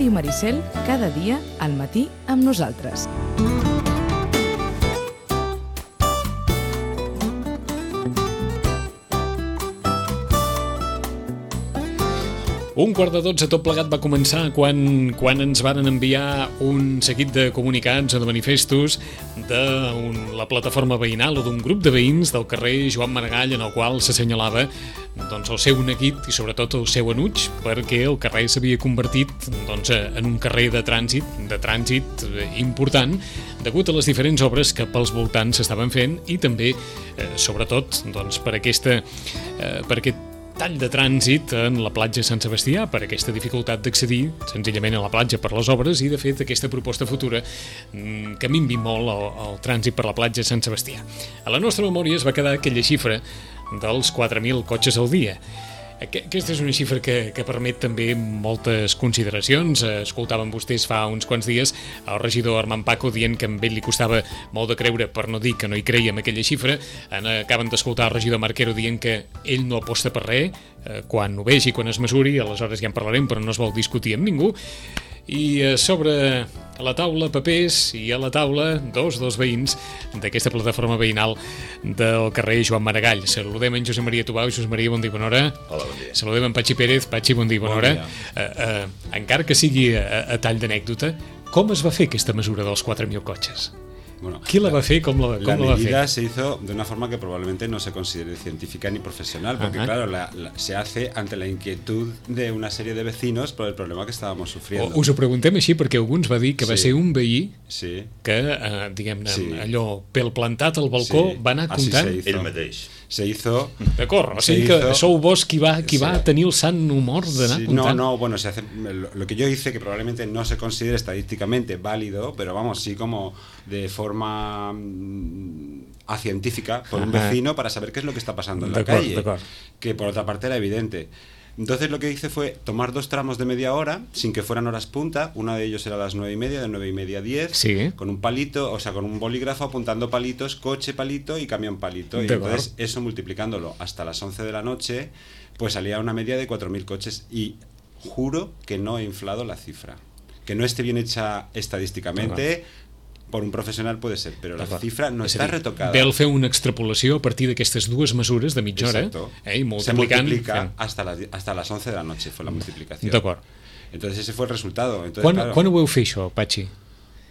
Ràdio Maricel, cada dia al matí amb nosaltres. Un quart de 12 tot plegat va començar quan ens varen enviar un seguit de comunicats o de manifestos de la plataforma veïnal o d'un grup de veïns del carrer Joan Maragall, en el qual s'assenyalava el seu neguit i sobretot el seu enuig, perquè el carrer s'havia convertit en un carrer de trànsit important degut a les diferents obres que pels voltants s'estaven fent i també, sobretot, per aquest tall de trànsit en la platja Sant Sebastià, per aquesta dificultat d'accedir senzillament a la platja per les obres i, de fet, aquesta proposta futura que minvi molt el trànsit per la platja Sant Sebastià. A la nostra memòria es va quedar aquella xifra dels 4.000 cotxes al dia. Aquesta és una xifra que permet també moltes consideracions. Escoltàvem vostès fa uns quants dies el regidor Armand Paco dient que a ell li costava molt de creure, per no dir que no hi creia en aquella xifra. Acaben d'escoltar el regidor Marquero dient que ell no aposta per res, quan ho vegi, quan es mesuri, aleshores ja en parlarem, però no es vol discutir amb ningú. I sobre la taula papers i a la taula dos veïns d'aquesta plataforma veïnal del carrer Joan Maragall. Saludem en Josep Maria Tubau. Josep Maria, bon dia, bona hora. Hola, bon dia. Saludem en Patxi Pérez. Patxi, bon dia, bona hora. Encara que sigui a tall d'anècdota, com es va fer aquesta mesura dels 4.000 cotxes? Bueno, ¿Qui la va fer? ¿Cómo la va fer? La medida se hizo de una forma que probablemente no se considere científica ni profesional, porque claro, se hace ante la inquietud de una serie de vecinos por el problema que estábamos sufriendo. Us ho preguntem així perquè algú ens va dir que va ser un veí que, diguem-ne, allò, pel plantat al balcó va anar comptant. Ell mateix. Se hizo... D'acord, o sigui que sou vos qui va tenir el sant humor d'anar comptant. No, bueno, se hace lo que yo hice, que probablemente no se considere estadísticamente válido, pero vamos, sí como de forma científica por un vecino para saber qué es lo que está pasando en la calle, que por otra parte era evidente. Entonces lo que hice fue tomar dos tramos de media hora, sin que fueran horas punta. Uno de ellos era a las 9:30, de 9:30 a 10, con un palito, o sea, con un bolígrafo apuntando palitos, coche palito y camión palito. Y entonces eso multiplicándolo hasta las 11 de la noche, pues salía una media de 4.000 coches. Y juro que no he inflado la cifra. Que no esté bien hecha estadísticamente... por un professional puede ser, però la xifra no està retocada. Vel fer una extrapolació a partir d'aquestes dues mesures de mitja hora i multiplicant... Se multiplica hasta las 11 de la noche fue la multiplicación. D'acord. Entonces ese fue el resultado. Entonces, quan ho vau fer això, Patxi?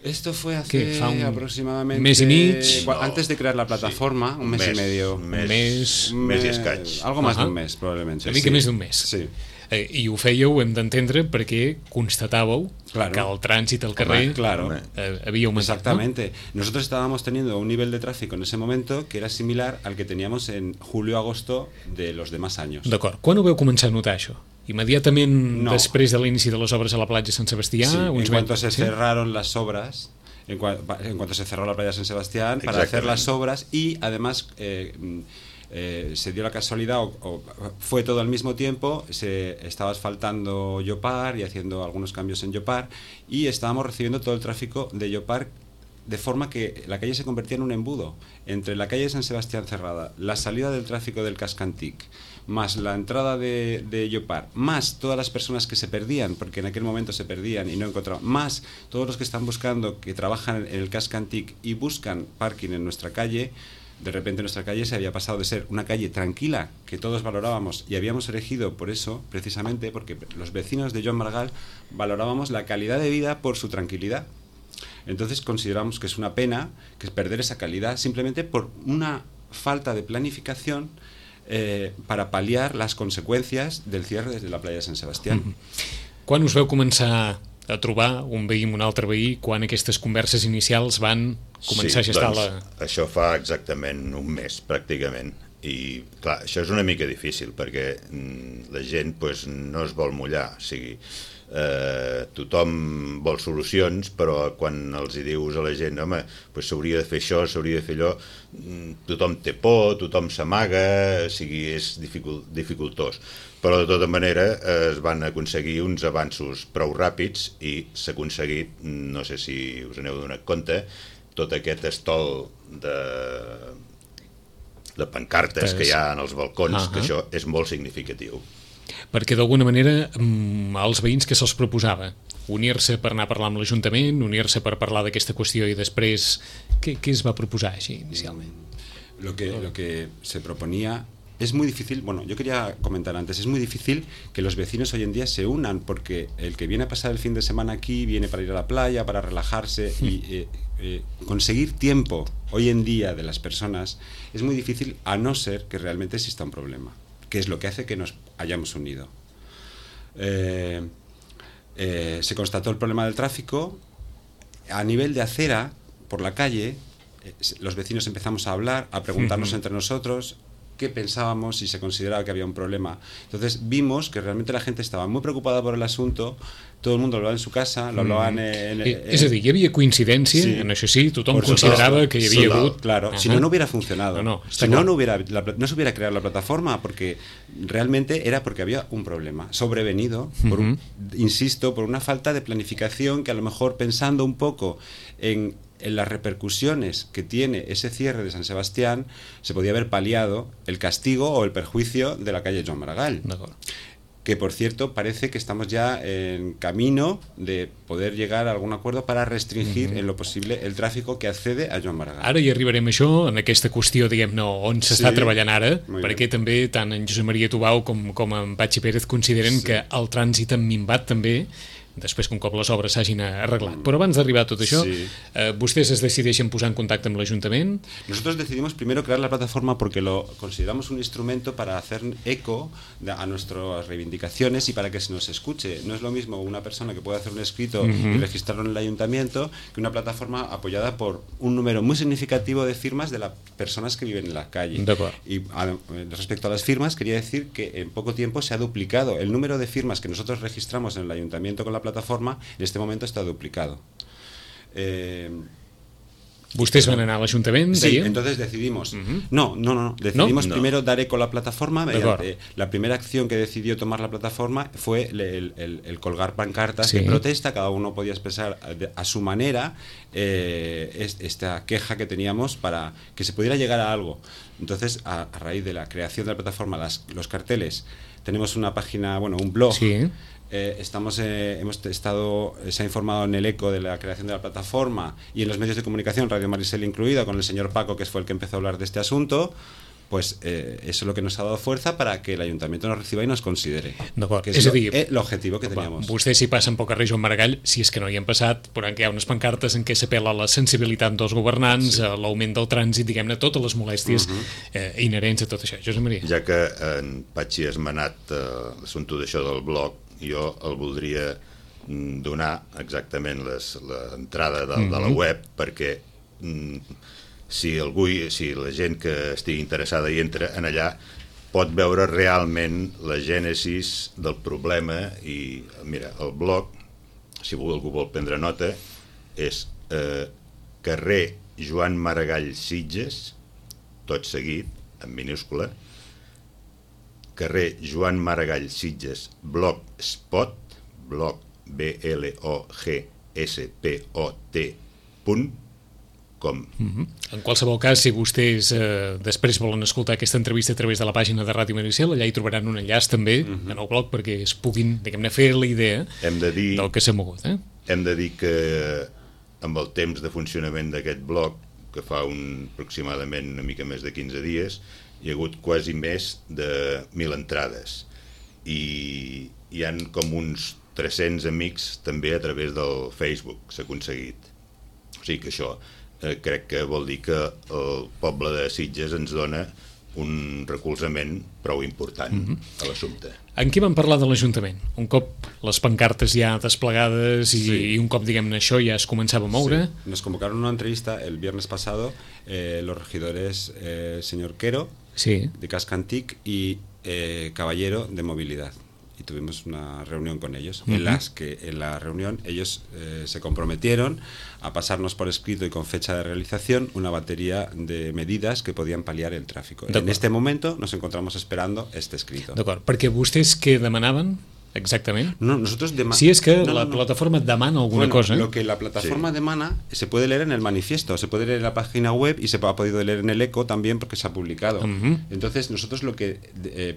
Esto fue hace aproximadamente... mes i mig? Antes de crear la plataforma, un mes y medio. Un mes i escaig. Algo más de un mes, probablemente. Una mica més d'un mes. Sí. I ho fèieu, hem d'entendre, perquè constatàveu que el trànsit al carrer havia aumentat. Exactamente. Nosotros estábamos teniendo un nivel de tráfico en ese momento que era similar al que teníamos en julio-agosto de los demás años. D'acord. Quan ho veu començar a notar, això? Immediatament després de l'inici de les obres a la platja Sant Sebastià? Sí, en cuanto se cerraron las obras, en cuanto se cerró la playa San Sebastián, para hacer las obras y además... se dio la casualidad o fue todo al mismo tiempo, se estaba asfaltando Llopar y haciendo algunos cambios en Llopar y estábamos recibiendo todo el tráfico de Llopar de forma que la calle se convertía en un embudo entre la calle de San Sebastián cerrada, la salida del tráfico del Casc Antic, más la entrada de Llopar, más todas las personas que se perdían, porque en aquel momento se perdían y no encontraban, más todos los que están buscando, que trabajan en el Casc Antic y buscan parking en nuestra calle. De repente nuestra calle se había pasado de ser una calle tranquila que todos valorábamos y habíamos elegido por eso, precisamente porque los vecinos de Joan Maragall valorábamos la calidad de vida por su tranquilidad. Entonces consideramos que es una pena que es perder esa calidad simplemente por una falta de planificación para paliar las consecuencias del cierre desde la playa de Sant Sebastián. Quan us veu començar a trobar un veí amb un altre veí, quan aquestes converses inicials van començar a gestar això fa exactament un mes, pràcticament. I, clar, això és una mica difícil, perquè la gent no es vol mullar. O sigui, tothom vol solucions, però quan els hi dius a la gent home, s'hauria de fer això, s'hauria de fer allò, tothom té por, tothom s'amaga, o sigui, és dificultós. Però de tota manera es van aconseguir uns avanços prou ràpids i s'ha aconseguit, no sé si us n'heu donat compte, tot aquest estol de pancartes que hi ha en els balcons, que això és molt significatiu. Perquè d'alguna manera els veïns que se'ls proposava? Unir-se per anar a parlar amb l'Ajuntament, unir-se per parlar d'aquesta qüestió i després què es va proposar així inicialment? Lo que se proponía es muy difícil, bueno, yo quería comentar antes, es muy difícil que los vecinos hoy en día se unan, porque el que viene a pasar el fin de semana aquí, viene para ir a la playa, para relajarse, y conseguir tiempo hoy en día de las personas es muy difícil, a no ser que realmente exista un problema, que es lo que hace que nos hayamos unido. Se constató el problema del tráfico a nivel de acera, por la calle. Los vecinos empezamos a hablar, a preguntarnos entre nosotros qué pensábamos, si se consideraba que había un problema. Entonces vimos que realmente la gente estaba muy preocupada por el asunto, todo el mundo lo hablaba en su casa, lo hablaban És a dir, hi havia coincidència, sí, en això sí, tothom considerava que hi havia hagut... Claro, si no hubiera funcionado, si no se hubiera creado la plataforma, porque realmente era porque había un problema sobrevenido, insisto, por una falta de planificación que a lo mejor pensando un poco en las repercusiones que tiene ese cierre de San Sebastián, se podía haber paliado el castigo o el perjuicio de la calle Joan Maragall. Que, por cierto, parece que estamos ya en camino de poder llegar a algun acuerdo para restringir en lo posible el tráfico que accede a Joan Maragall. Ara hi arribarem a això, en aquesta qüestió, diguem-ne, on s'està treballant ara, perquè també tant en Josep Maria Tubau com en Patxi Pérez consideren que el trànsit ha minvat també, després que un cop les obres s'hagin arreglat. Però abans d'arribar a tot això, ¿ustedes es decideixen posar en contacte amb l'Ajuntament? Nosotros decidimos primero crear la plataforma porque lo consideramos un instrumento para hacer eco a nuestras reivindicaciones y para que se nos escuche. No es lo mismo una persona que puede hacer un escrito y registrarlo en el ayuntamiento que una plataforma apoyada por un número muy significativo de firmas de las personas que viven en la calle. Y respecto a las firmas, quería decir que en poco tiempo se ha duplicado. El número de firmas que nosotros registramos en el ayuntamiento con la plataforma en este momento está duplicado. ¿Ustedes van a l'Ajuntament? Sí, entonces decidimos. Decidimos primero dar eco a la plataforma. La primera acción que decidió tomar la plataforma fue el colgar pancartas de protesta. Cada uno podía expresar a su manera esta queja que teníamos para que se pudiera llegar a algo. Entonces, a raíz de la creación de la plataforma, los carteles, tenemos una página, un blog. Sí. Se ha informado en el eco de la creación de la plataforma y en los medios de comunicación, Radio Marisel incluida, con el señor Paco, que fue el que empezó a hablar de este asunto. Pues eso es lo que nos ha dado fuerza para que el Ayuntamiento nos reciba y nos considere, que és l'objectiu que teníamos. Vostès si passen pel carrer Joan Maragall, si és que no hi han passat, veuran que hi ha unes pancartes en què s'apel·la a la sensibilitat dels governants, a l'augment del trànsit, diguem-ne, totes les molèsties inherents a tot això. Josep Maria. Ja que en Patxi ha esmenat l'assumpte d'això del blog, jo el voldria donar exactament l'entrada de la web, perquè si la gent que estigui interessada i entra en allà pot veure realment la gènesis del problema. I mira, el blog, si algú vol prendre nota, és carrer Joan Maragall Sitges, tot seguit, en minúscula, carrer Joan Maragall Sitges, blogspot, blogspot.com. En qualsevol cas, si vostès després volen escoltar aquesta entrevista a través de la pàgina de Ràdio Maricel, allà hi trobaran un enllaç també en el blog perquè es puguin, diguem-ne, fer la idea del que s'ha mogut. Hem de dir que amb el temps de funcionament d'aquest blog, que fa aproximadament una mica més de 15 dies, hi ha hagut quasi més de 1.000 entrades i hi han com uns 300 amics també a través del Facebook s'ha aconseguit. O sigui que això crec que vol dir que el poble de Sitges ens dona un recolzament prou important a l'assumpte. En què van parlar de l'Ajuntament? Un cop les pancartes ja desplegades i un cop, diguem-ne, això ja es començava a moure? Sí. Nos convocaron una entrevista el viernes pasado los regidores señor Quero, de Cascantic, y Caballero, de Movilidad. Y tuvimos una reunión con ellos, en la reunión ellos se comprometieron a pasarnos por escrito y con fecha de realización una batería de medidas que podían paliar el tráfico. En este momento nos encontramos esperando este escrito. D'acord, perquè vostès què demanaven exactament? No, nosotros si és que la plataforma demana alguna cosa. Lo que la plataforma demana se puede leer en el manifiesto, se puede leer en la página web y se ha podido leer en el eco también porque se ha publicado. Entonces nosotros lo que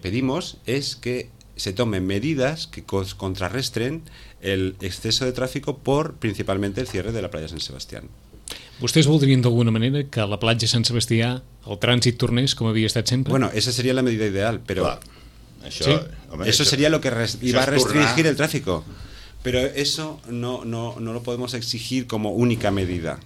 pedimos es que se tomen medidas que contrarrestren el exceso de tráfico por principalmente el cierre de la playa de Sant Sebastián. Vostès voldrien d'alguna manera que a la platja Sant Sebastià el trànsit tornés com havia estat sempre? Bueno, esa sería la medida ideal, pero eso sería lo que iba a restringir el tráfico. Pero eso no lo podemos exigir como única medida.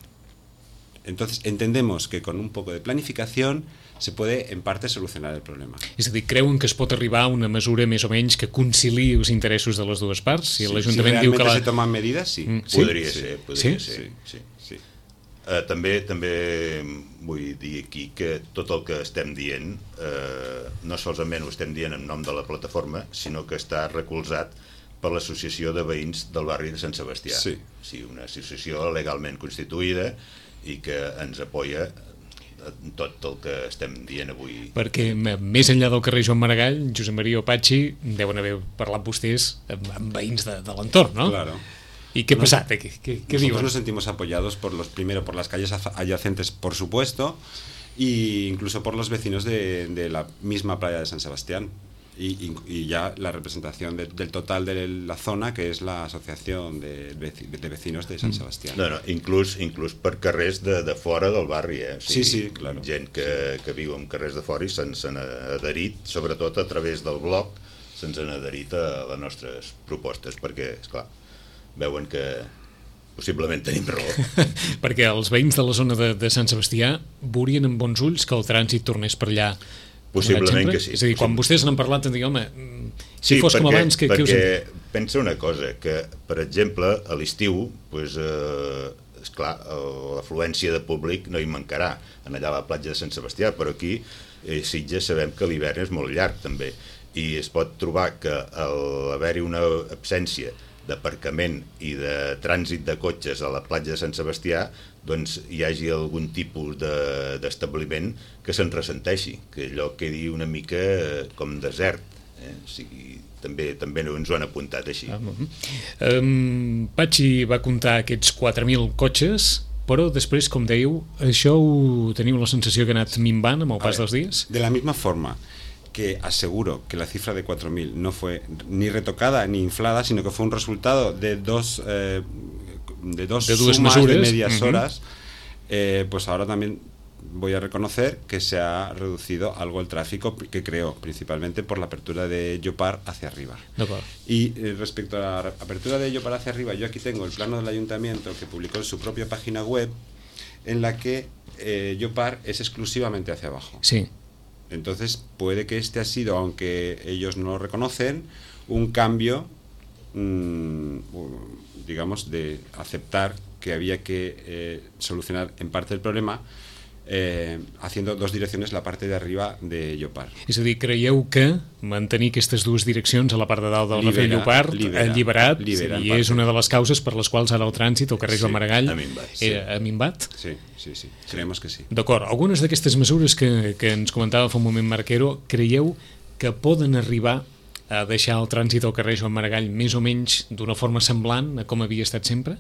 Entonces entendemos que con un poco de planificación se puede en parte solucionar el problema. És a dir, creuen que es pot arribar a una mesura més o menys que conciliï els interessos de les dues parts? Si l'Ajuntament diu que se tomen medidas, sí. Podria ser. També vull dir aquí que tot el que estem dient no solament ho estem dient en nom de la plataforma, sinó que està recolzat per l'Associació de Veïns del barri de Sant Sebastià. Sí, una associació legalment constituïda i que ens apoya tot el que estem dient avui. Perquè més enllà del carrer Joan Maragall, Josep Maria o Patxi deuen haver parlat vostès amb veïns de l'entorn, ¿no? Claro. ¿Y qué pasa? ¿Qué Nosotros digo? Nos sentimos apoyados primero por las calles adyacentes, por supuesto, e incluso por los vecinos de la misma playa de San Sebastián. Y ya la representación del total de la zona, que es la Asociación de Vecinos de Sant Sebastián. No, inclús per carrers de fora del barri, O sigui, sí, claro. Gent que viu en carrers de fora i se'ns han adherit, sobretot a través del blog, se'ns han adherit a les nostres propostes, perquè, esclar, veuen que possiblement tenim raó. Perquè els veïns de la zona de Sant Sebastià veurien amb bons ulls que el trànsit tornés per allà. Possiblement que sí. És a dir, quan vostès n'han parlat, em dic, home, si fos com abans, què us perquè pensa una cosa, que, per exemple, a l'estiu, esclar, l'afluència de públic no hi mancarà allà a la platja de Sant Sebastià, però aquí a Sitges sabem que l'hivern és molt llarg també, i es pot trobar que al haver-hi una absència d'aparcament i de trànsit de cotxes a la platja de Sant Sebastià, doncs hi hagi algun tipus d'establiment que se'n ressenteixi, que allò quedi una mica com desert. O sigui, també ens ho han apuntat així. Patxi va comptar aquests 4.000 cotxes, però després, com dèieu, això ho teniu la sensació que ha anat minvant amb el pas dels dies? De la misma forma que aseguro que la cifra de 4.000 no fue ni retocada ni inflada, sino que fue un resultado de dos sumas de medias horas, pues ahora también voy a reconocer que se ha reducido algo el tráfico que creó, principalmente por la apertura de Llopart hacia arriba. Y respecto a la apertura de Llopart hacia arriba, yo aquí tengo el plano del ayuntamiento que publicó en su propia página web, en la que Llopart es exclusivamente hacia abajo. Sí. Entonces puede que este ha sido, aunque ellos no lo reconocen, un cambio, digamos, de aceptar que había que solucionar en parte el problema haciendo dos direcciones la parte de arriba de Llopart. És a dir, creieu que mantenir aquestes dues direccions a la part de dalt del Rafael Llopart ha alliberat i és una de les causes per les quals ara el trànsit al carrer Joan Maragall ha minvat? Sí, creemos que sí. D'acord, algunes d'aquestes mesures que ens comentava fa un moment Marquero, creieu que poden arribar a deixar el trànsit al carrer Joan Maragall més o menys d'una forma semblant a com havia estat sempre?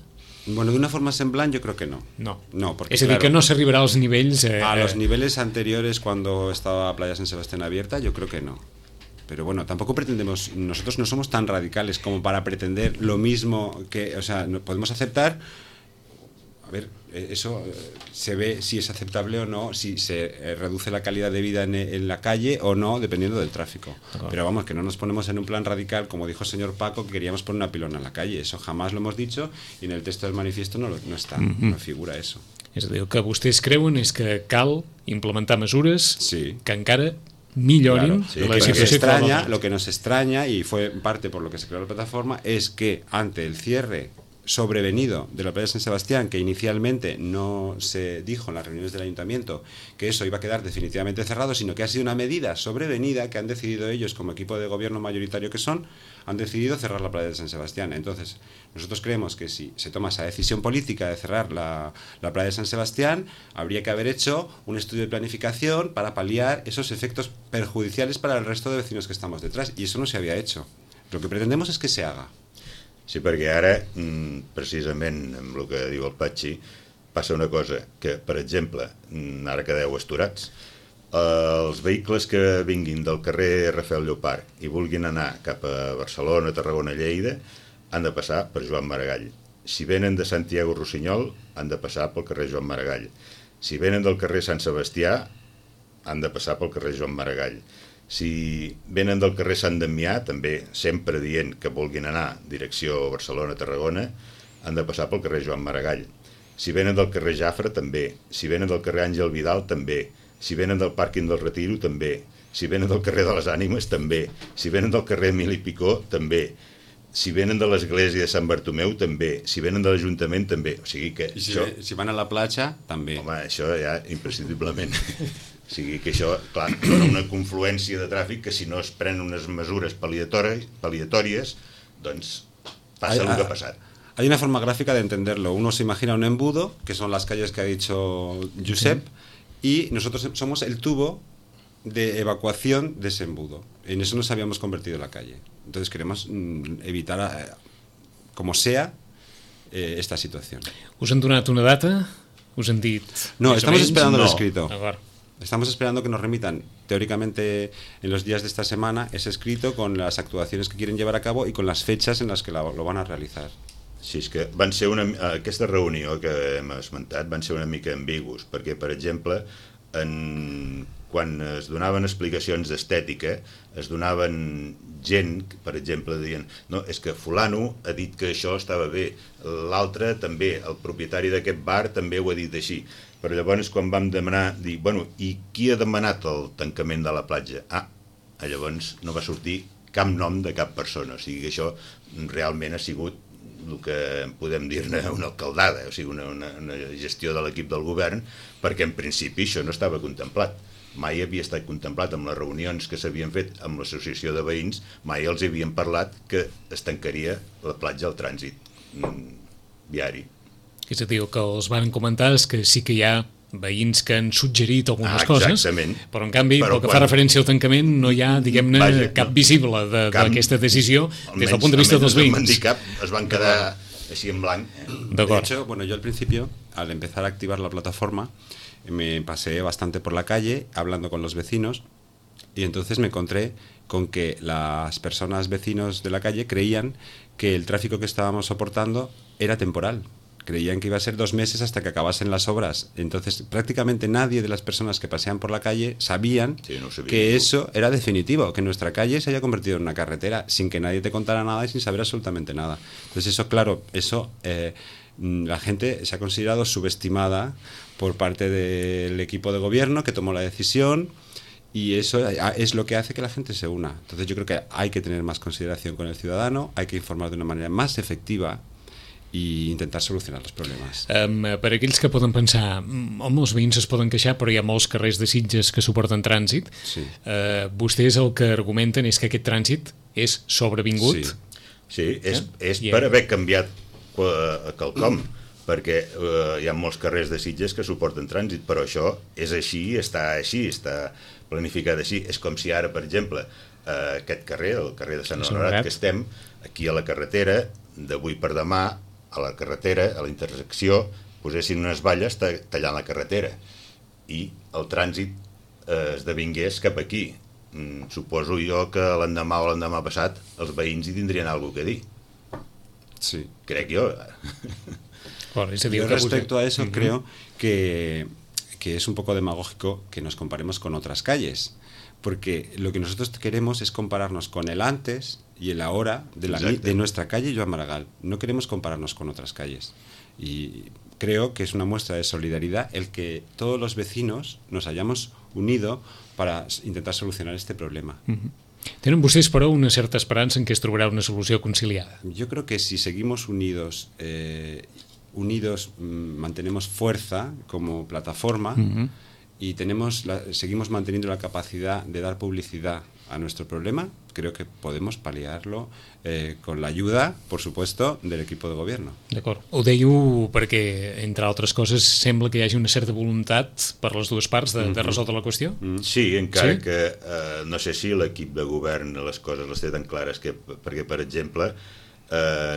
Bueno, de una forma semblant yo creo que no. No, porque, es decir, que no se arribará a los niveles... a los niveles anteriores cuando estaba Playa San Sebastián abierta, yo creo que no. Pero bueno, tampoco pretendemos, nosotros no somos tan radicales como para pretender lo mismo que, o sea, no, podemos aceptar, a ver, eso se ve si es aceptable o no, si se reduce la calidad de vida en la calle o no, dependiendo del tráfico. Pero vamos, que no nos ponemos en un plan radical, como dijo el señor Paco, que queríamos poner una pilona en la calle. Eso jamás lo hemos dicho y en el texto del manifiesto no está, no figura eso. És a dir, el que vostès creuen és que cal implementar mesures que encara millorin la situació actual. Lo que nos extraña, y fue en parte por lo que se creó la plataforma, es que ante el cierre sobrevenido de la playa de San Sebastián, que inicialmente no se dijo en las reuniones del ayuntamiento que eso iba a quedar definitivamente cerrado, sino que ha sido una medida sobrevenida que han decidido ellos, como equipo de gobierno mayoritario que son, han decidido cerrar la playa de San Sebastián. Entonces, nosotros creemos que si se toma esa decisión política de cerrar la playa de San Sebastián, habría que haber hecho un estudio de planificación para paliar esos efectos perjudiciales para el resto de vecinos que estamos detrás, y eso no se había hecho. Lo que pretendemos es que se haga. Sí, perquè ara, precisament amb el que diu el Patxi, passa una cosa, que, per exemple, ara quedeu asturats, Els vehicles que vinguin del carrer Rafael Llopart i vulguin anar cap a Barcelona, Tarragona, Lleida, han de passar per Joan Maragall. Si venen de Santiago Rossinyol, han de passar pel carrer Joan Maragall. Si venen del carrer Sant Sebastià, han de passar pel carrer Joan Maragall. Si venen del carrer Sant Damià, també sempre dient que vulguin anar direcció Barcelona-Tarragona, han de passar pel carrer Joan Maragall. Si venen del carrer Jafre, també. Si venen del carrer Àngel Vidal, també. Si venen del pàrquing del Retiro, també. Si venen del carrer de les Ànimes, també. Si venen del carrer Emili Picó, també. Si venen de l'església de Sant Bartomeu, també. Si venen de l'Ajuntament, també. O sigui que I si això... van a la platja, també. Home, això ja imprescindiblement. O sigui que això, clar, dona una confluència de tràfic que si no es prenen unes mesures paliatòries, doncs passa el que ha passat. Hay una forma gráfica de entenderlo. Uno se imagina un embudo, que son las calles que ha dicho Josep, y nosotros somos el tubo de evacuación de ese embudo. En eso nos habíamos convertido en la calle. Entonces queremos evitar, como sea, esta situación. Us han donat una data? Us han dit... No, més o estamos menys? esperando el No. escrito. D'acord. Estamos esperando que nos remitan, teóricamente, en los días de esta semana, ese escrito con las actuaciones que quieren llevar a cabo y con las fechas en las que lo van a realizar. Sí, és que van ser aquesta reunió que hem esmentat van ser una mica ambigus, perquè, per exemple, quan es donaven explicacions d'estètica, es donaven gent, per exemple, dient no, és que fulano ha dit que això estava bé, l'altre també, el propietari d'aquest bar també ho ha dit així. Però llavors quan vam demanar, dir, bueno, i qui ha demanat el tancament de la platja? Llavors no va sortir cap nom de cap persona, o sigui que això realment ha sigut el que podem dir-ne una alcaldada, o sigui, una gestió de l'equip del govern, perquè en principi això no estava contemplat. Mai havia estat contemplat amb les reunions que s'havien fet amb l'associació de veïns, mai els havien parlat que es tancaria la platja al trànsit viari. És a dir, el que els van comentar és que sí que hi ha veïns que han suggerit algunes coses, però en canvi, pel que fa referència al tancament, no hi ha, diguem-ne, cap visible d'aquesta decisió des del punt de vista dels veïns. Es van quedar així en blanc. De hecho, bueno, yo al principio, al empezar a activar la plataforma, me pasé bastante por la calle hablando con los vecinos y entonces me encontré con que las personas vecinos de la calle creían que el tráfico que estábamos soportando era temporal. Creían que iba a ser 2 meses hasta que acabasen las obras. Entonces, prácticamente nadie de las personas que pasean por la calle sabían que eso era definitivo, que nuestra calle se haya convertido en una carretera sin que nadie te contara nada y sin saber absolutamente nada. Entonces, eso, claro, la gente se ha considerado subestimada por parte del equipo de gobierno que tomó la decisión y eso es lo que hace que la gente se una. Entonces, yo creo que hay que tener más consideración con el ciudadano, hay que informar de una manera más efectiva i intentar solucionar els problemes. Per aquells que poden pensar home, els veïns es poden queixar, però hi ha molts carrers de Sitges que suporten trànsit. Sí. Vostès el que argumenten és que aquest trànsit és sobrevingut. Sí, és per haver canviat quelcom, perquè hi ha molts carrers de Sitges que suporten trànsit, però això és així, està planificat així. És com si ara, per exemple, aquest carrer, el carrer de Sant Honorat, que estem aquí a la carretera, d'avui per demà, a la carretera, a la intersecció, posessin unes valles tallant la carretera i el trànsit esdevingués cap aquí. Suposo jo que l'endemà o l'endemà passat els veïns hi tindrien alguna cosa a dir. Sí. Crec jo. Yo respecto a eso creo que es un poco demagógico que nos comparemos con otras calles, porque lo que nosotros queremos es compararnos con el antes y el ahora de nuestra calle Joan Maragall. No queremos compararnos con otras calles. Y creo que es una muestra de solidaridad el que todos los vecinos nos hayamos unido para intentar solucionar este problema. Tenen vostès, però, una certa esperança en que es trobarà una solució conciliada? Yo creo que si seguimos unidos, mantenemos fuerza como plataforma y seguimos manteniendo la capacidad de dar publicidad a nuestro problema, creo que podemos paliarlo con la ayuda, por supuesto, del equipo de gobierno. D'acord. Ho dèieu perquè, entre altres coses, sembla que hi hagi una certa voluntat per les dues parts de resoldre la qüestió? Sí, encara que no sé si l'equip de govern les coses les té tan clares, perquè, per exemple,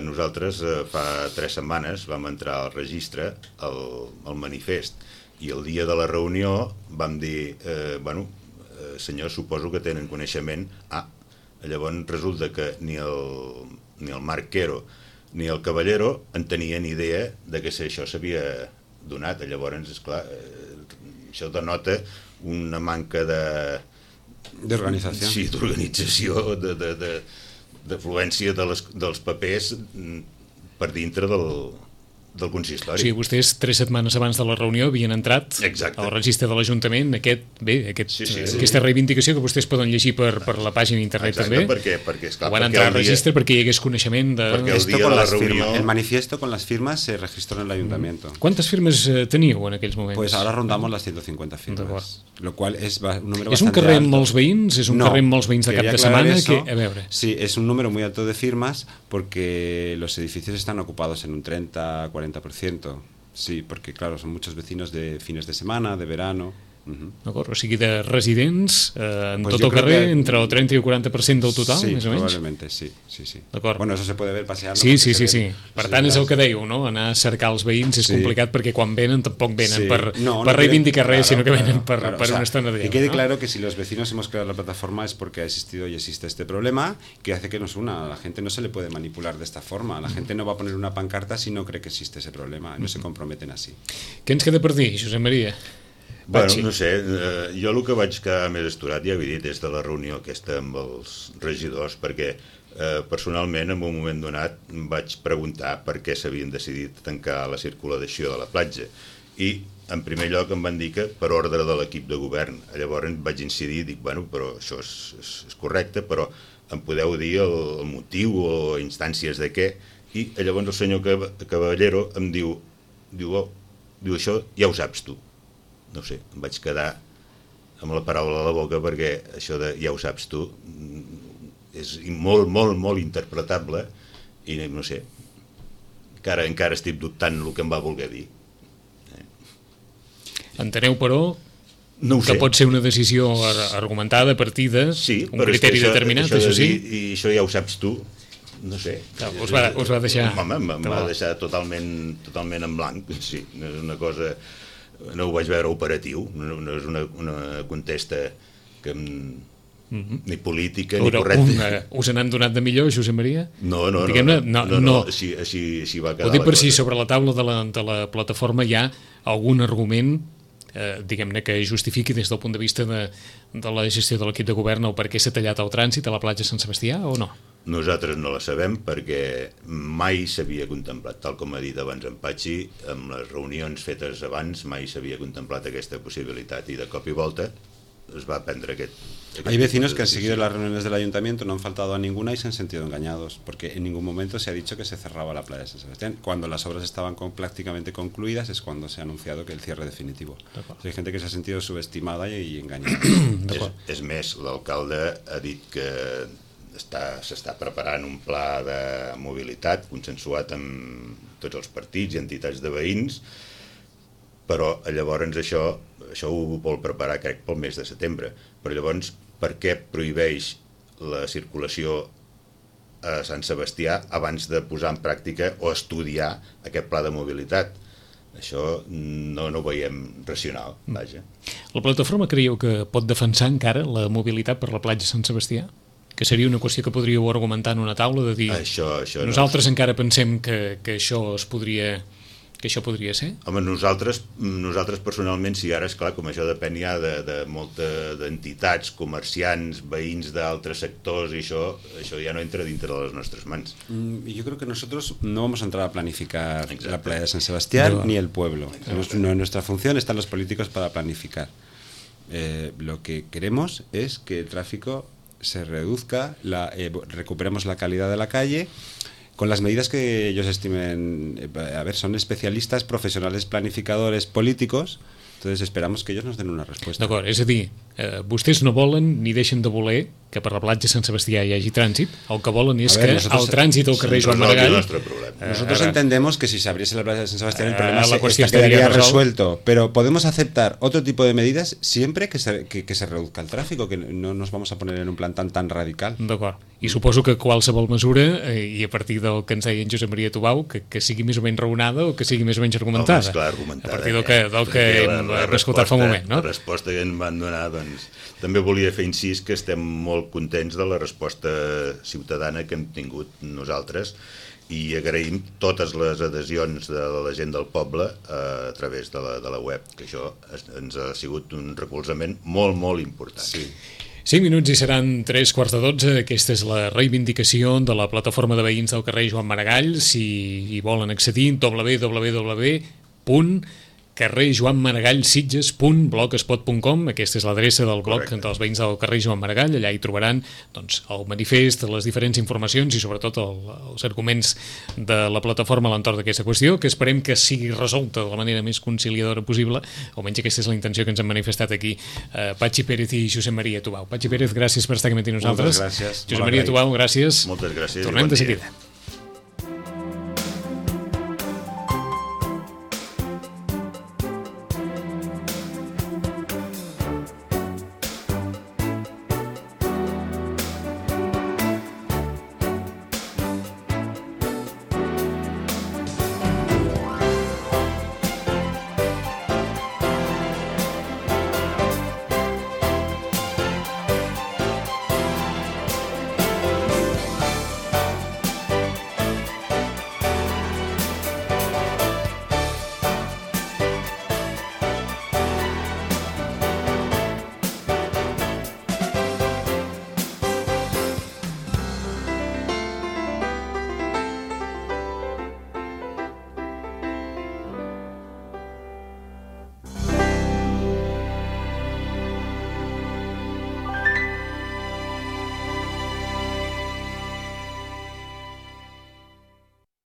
Nosaltres fa 3 setmanes vam entrar al registre, al manifest, i el dia de la reunió vam dir, senyors, suposo que tenen coneixement. Llavors resulta que ni el Marc Quero ni el Caballero en tenien idea de que això s'havia donat. Llavors, esclar, això denota una manca d'organització. Sí, d'organització, d'afluència dels papers per dintre del consistori. O sigui, vostès 3 setmanes abans de la reunió havien entrat al registre de l'Ajuntament aquesta reivindicació que vostès poden llegir per la pàgina d'internet. Exacte, també. perquè esclar, van entrar al registre perquè hi hagués coneixement de... Perquè el dia de la reunió... El manifiesto con las firmas se registró en el ayuntamiento. ¿Cuántas firmes teníeu en aquells moments? Pues ahora rondamos las 150 firmas. Lo cual es un número ¿Es un carrer amb molts veïns? ¿Es un carrer amb molts veïns de cap de setmana? A veure. Sí, es un número muy alto de firmas porque los edificios están ocupados en un 30-40%. Sí, porque claro, son muchos vecinos de fines de semana, de verano. D'acord, o sigui, de residents en tot el carrer, entre el 30 i el 40% del total, més o menys? Probablement, sí. D'acord. Bueno, eso se puede ver paseando. Sí. Per tant, és el que dèieu, no? Anar a cercar els veïns és complicat perquè quan venen tampoc venen per reivindicar res, sinó que venen per una estona de... Y quede claro que si los vecinos hemos creado la plataforma es porque ha existido y existe este problema que hace que nos una. A la gente no se le puede manipular de esta forma. La gente no va a poner una pancarta si no cree que existe ese problema. No se comprometen así. Què ens queda per dir, Josep Maria? Bueno, no sé, jo el que vaig quedar més esturat, ja he dit, és de la reunió aquesta amb els regidors, perquè personalment en un moment donat vaig preguntar per què s'havien decidit tancar la circulació de la platja, i en primer lloc em van dir que per ordre de l'equip de govern. Llavors vaig incidir i dic, bueno, però això és correcte, però em podeu dir el motiu o instàncies de què? I llavors el senyor Caballero em diu això ja ho saps tu. No sé, em vaig quedar amb la paraula a la boca perquè això de ja ho saps tu és molt, molt, molt interpretable i no sé, encara estic dubtant el que em va voler dir. Enteneu, però, que pot ser una decisió argumentada, partida, un criteri determinat, això sí? I això ja ho saps tu, no sé. Us va deixar... Home, em va deixar totalment en blanc, sí, no és una cosa... No ho vaig veure operatiu, no és una contesta que ni política ni correcta. Us n'han donat de millor, Josep Maria? No, així va quedar. Ho dic per si sobre la taula de la plataforma hi ha algun argument diguem-ne que justifiqui des del punt de vista de la gestió de l'equip de govern o per què s'ha tallat el trànsit a la platja Sant Sebastià o no? Nosaltres no la sabem perquè mai s'havia contemplat, tal com ha dit abans en Patxi, amb les reunions fetes abans mai s'havia contemplat aquesta possibilitat i de cop i volta es va prendre aquest... Hay vecinos que han seguido las reuniones del ayuntamiento, no han faltado a ninguna y se han sentido engañados, porque en ningún momento se ha dicho que se cerraba la playa de San Sebastián. Cuando las obras estaban prácticamente concluidas es cuando se ha anunciado que el cierre definitivo. Hay gente que se ha sentido subestimada y engañada. És més, l'alcalde ha dit que s'està preparant un pla de mobilitat consensuat amb tots els partits i entitats de veïns, però llavors això ho vol preparar, crec, pel mes de setembre. Però llavors, per què prohibeix la circulació a Sant Sebastià abans de posar en pràctica o estudiar aquest pla de mobilitat? Això no ho veiem racional, vaja. La plataforma creieu que pot defensar encara la mobilitat per la platja Sant Sebastià? Que seria una qüestió que podríeu argumentar en una taula de dir nosaltres encara pensem que això podria ser? Home, nosaltres personalment, sí, ara és clar, com això depèn ja de moltes entitats, comerciants, veïns d'altres sectors, i això ja no entra dintre de les nostres mans. Yo creo que nosotros no vamos a entrar a planificar la playa de San Sebastián ni el pueblo. No, nuestra función están los políticos para planificar. Lo que queremos es que el tráfico se reduzca, recuperemos la calidad de la calle con las medidas que ellos estimen. A ver, son especialistas, profesionales, planificadores, políticos, entonces esperamos que ellos nos den una respuesta. D'acord, és a dir, vostès no volen ni deixen de voler que per la platja Sant Sebastià hi hagi trànsit. El que volen és que el trànsit al carrer Joan Maragall... Nosotros entendemos que si se abriese la playa de San Sebastián el problema quedaría resuelto, pero podemos aceptar otro tipo de medidas siempre que se reduzca el tráfico, que no nos vamos a poner en un plan tan radical. D'acord. I suposo que qualsevol mesura, i a partir del que ens deia en Josep Maria Tubau, que sigui més o menys raonada o que sigui més o menys argumentada. Home, esclar, argumentada. A partir del que hem escoltat fa un moment, no? La resposta que ens van donar, doncs, també volia fer incís que estem molt contents de la resposta ciutadana que hem tingut nosaltres i agraïm totes les adhesions de la gent del poble a través de la web, que això ens ha sigut un recolzament molt, molt important. Sí. 5 minuts i seran 3:15. Aquesta és la reivindicació de la plataforma de veïns del carrer Joan Maragall. Si hi volen accedir, www.carrerjoanmaragallsitges.blogspot.com. Aquesta és l'adreça del blog dels veïns del carrer Joan Maragall. Allà hi trobaran doncs, el manifest, les diferents informacions i sobretot els arguments de la plataforma a l'entorn d'aquesta qüestió, que esperem que sigui resolta de la manera més conciliadora possible. Almenys aquesta és la intenció que ens han manifestat aquí Patxi Pérez i Josep Maria Tubau. Patxi Pérez, gràcies per estar aquí amb nosaltres. Moltes gràcies. Josep Maria Tubau, gràcies. Moltes gràcies. Tornem de seguida.